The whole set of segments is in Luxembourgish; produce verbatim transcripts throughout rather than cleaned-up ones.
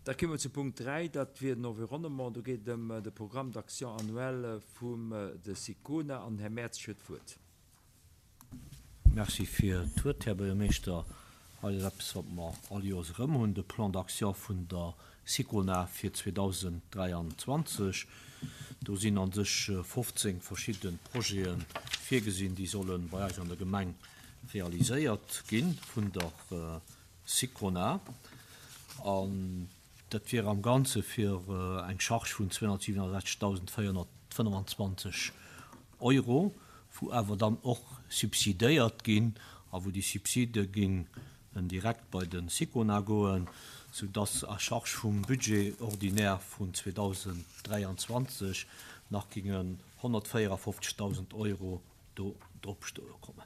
Da komme mer zu Punkt dräi, dat wier den Environnement. Do geet et ëm de Programme d'action annuel vum de SICONA an den Här Mertzig huet d'Wuert. Merci fir d'Wuert, Här Buergermeeschter. Hei ass eppes, wat mer all Joers erëm hunn, de Plan d'action vun der SICONA fir zweedausend dräianzwanzeg. Do sinn a sech fofzéng verschidde Projete virgesinn, déi solle bei eis an der Gemeng realiséiert gi vun der SICONA. An dat wier am Ganze fir eng Charge vun zweehonnertsiewenundsechzegdausendvéierhonnertfënnefenzwanzeg Euro, wou awer dann och subsidéiert ginn a wou déi Subside ginn direkt bei de SICONA goen, soudass à charge vum Budget ordinaire vun zweedausend dräianzwanzeg nach gingen honnertvéierafofzegdausend Euro do drop stoe kommen.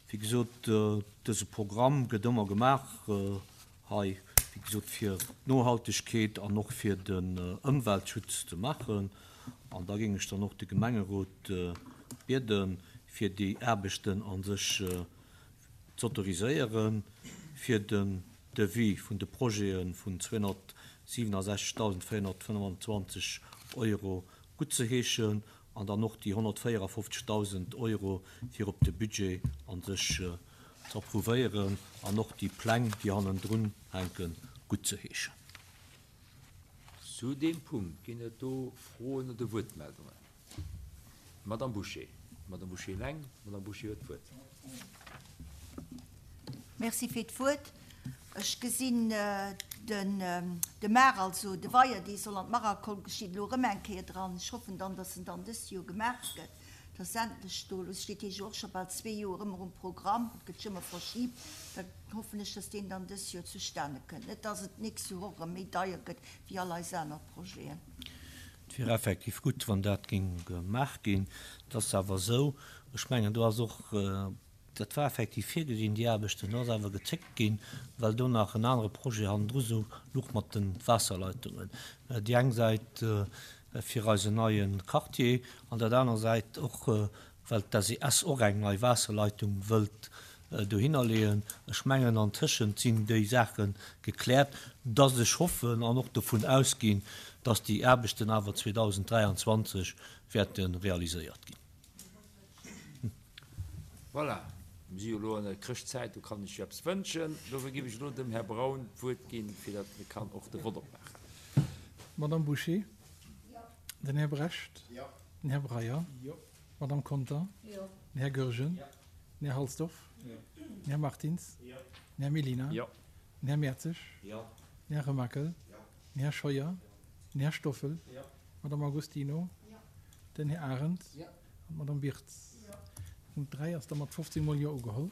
Wéi gesot, dëse Programm gëtt ëmmer gemaach hei, wéi gesot, fir d'Nohaltegkeet an och fir den Ëmweltschutz ze maachen. An da géing ech dann och de Gemengerot bieden, fir déi Aarbechten a sech z'autoriséieren, fir den Devis vun de Projete vun zweehonnertsiewenundsechzegdausendvéierhonnertfënnefenzwanzeg Euro guttzeheeschen an dann och déi honnertvéierafofzegdausend Euro fir op de Budget a sech z'approuvéieren an och déi Pläng, déi hannendrun hänken, guttzeheeschen. Zu deem Punkt ginn et do Froen oder Wuertmeldungen? Madame Bouché. Madame Bouché eleng. Madame Bouché huet d'Wuert. Merci fir d'Wuert. Ech gesinn den de Mar, also de Weier, dee soll an d'Marakol geschitt elo erëm eng Kéier dran. Ech hoffen dann, dass en dann dëst Joer gemaach gëtt, dass endlech do, elo steet hie jo och scho bal zwee Joer ëmmer um Programm, et gëtt sech ëmmer verschibt, da hoffen ech, dass deen dann dëst Joer zustane kënnt, net dass et d'nächst Joer och erëm méi deier gëtt wéi all eis aner Projeten. Et wier effektiv gutt, wann dat géing gemaach ginn. Et ass awer esou, ech mengen, do ass och, dat war effektiv virgesinn, déi Aarbechten, do ass awer gezéckt ginn, well do nach en anere Projet hannendru sou louch mat de Waasserleitungen. Déi eng Säit fir eisen neie Quartier an dat aner Säit och, well d'S E S och eng nei Waasserleitung wëllt dohinner leeën. Ech mengen, antëschent sinn déi Saache gekläert, dass ech hoffen an och dovun ausginn, dass déi Aarbechten awer zweedausend dräianzwanzeg wäerte realiséiert ginn. Voilà, mir si jo elo an der Chrëschtzäit, do kann ech jo eppes wënschen. Dofir géif ech elo dem Här Braun d'Wuert ginn, fir datt e kann och de Vott opmaachen. Madame Bouché? Den Här Brecht? Den Här Breyer? Madame Conter? Den Här Goergen? Den Här Halsdorf? Den Här Martins? Den Här Mellina? Den Här Mertzig? Den Här Remakel? Den Här Scheuer? Den Här Stoffel? Madame Agostino? Den Här Arendt? An d'Madame Birtz. Punkt dräi ass da mat fofzéng Mol Jo ugeholl.